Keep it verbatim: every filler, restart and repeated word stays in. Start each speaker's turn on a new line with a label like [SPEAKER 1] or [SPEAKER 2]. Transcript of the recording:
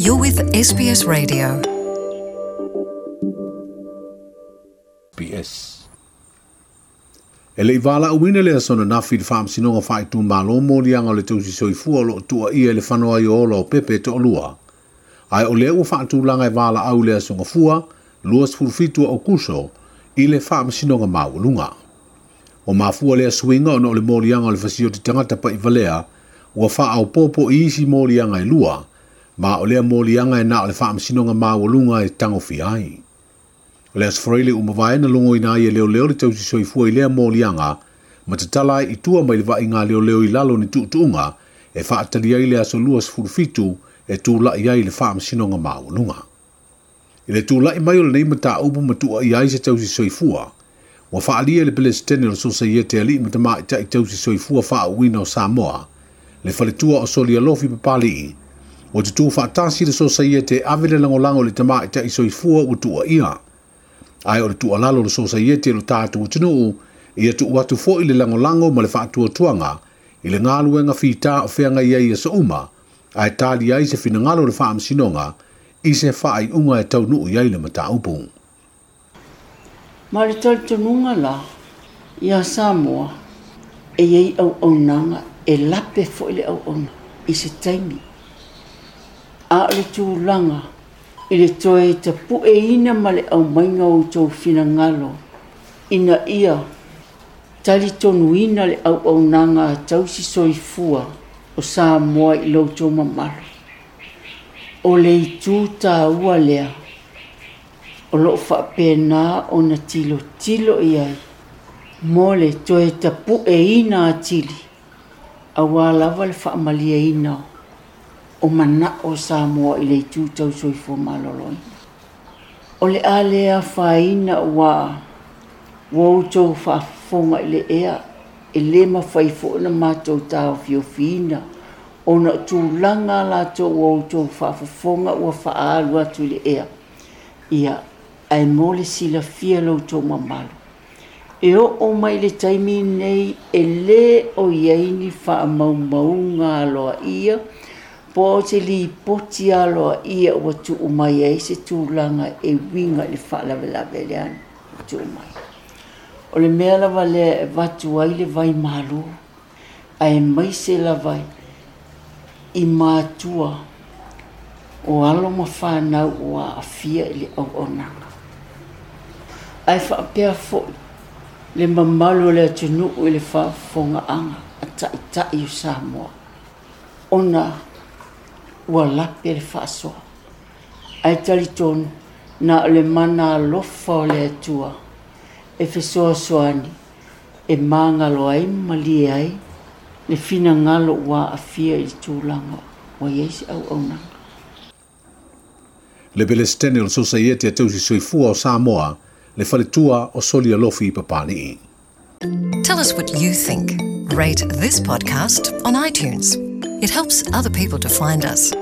[SPEAKER 1] You're with S B S Radio.
[SPEAKER 2] B S. E le iwala uwina le asona nafi le whaamsinoga whaitū malo mōlianga o le tausi soifua o loo tua ia le whanoa i ola o pepe to olua. Ai o lea ua whaatūlanga e wala au le asonga fua, lua sefulufitu o kuso, i le whaamsinoga maualunga. O mafua lea suinga ona o le mōlianga o le fasio te tangata pa i valea, ua whaaupopo i isi mōlianga e lua, ma o lea mōlianga e nā o le whaamsinoga maualunga e tangofia ai. O le asfraile umawai na longo ina ia leo leo le tausi soifua i lea mōlianga, ma te talai i tua mai le vai ngā leo leo i lalo ni tuutuunga, e whaatali ai le aso lua sefulufitu e tūlai ai le whaamsinoga maualunga. I le tūlai mai o le nei mata upu matua i ai se tausi soifua, ua whaalia le Pelestene o le Sosaiete ali matama i tai tausi soifua whaauina o Samoa, le faletua o Solialofi Papali'i, o te tū whaatasi le Sosaiete ave le langolango le tama i tai soifua ua tua ia. Ai o le tualalo le Sosaiete lo tātu utunuu, ia tu atu fo i le langolango ma le whaatuatuanga, i le ngāluenga whita o wheanga ia ia sa uma, ai tāli ai se finangalo le whaamsinonga, i se whaai unga e taunuu iai le mataupu.
[SPEAKER 3] Ma le talitonuga la, ia Samoa, e iai auaunaga e lape fo'i le auauna i se taimi. A o le tulaga i le toe tapu'eina ma le aumaiga o outou finagalo, ina ia talitonuina le auaunaga a tausi soifua o Samoa i lo outou mamalu. O le itu tāua lea, o loo faapena ona tilotilo i ai, mo le toe tapu'eina atili, auā lava le faamaliaina o mana'o o Samoa i le itu tau soifua maloloina. O le a lea afaina uā, ua outou faafofoga i le ea, e lē mafai fo'i na matou taofiofiina, ona o tulaga latou ua outou faafofoga ua faaalu atu i le ea. Ia, ae mo le silafia lo outou mamalu. E oo mai le taimi nei e lē o iai ni faamaumauga aloaia, po o se lipoti aloaia ua tuu mai ai se tulaga e uiga i le faalavelave lea tuu mai. O le mea lava lea e avatu ai le vaimālū, ae maise lava i matua o alo ma whanau o aafia i le auaunaga. Ae faapea fo'i le mamalu o le atunuu i le faafofogaaga a ta'ita'i o Samoa, ona ua lape le faasoa. Ae talitonu na o le mana alofa o le Atua e fesoasoani e magalo ai ma malie ai le finagalo ua aafia i le tulaga ua iai se auaunaga.
[SPEAKER 2] Le Pelestene o le Sosaiete a tausi soifua o Samoa, le faletua o Solialofi Papali'i.
[SPEAKER 1] Tell us what you think. Rate this podcast on iTunes. It helps other people to find us.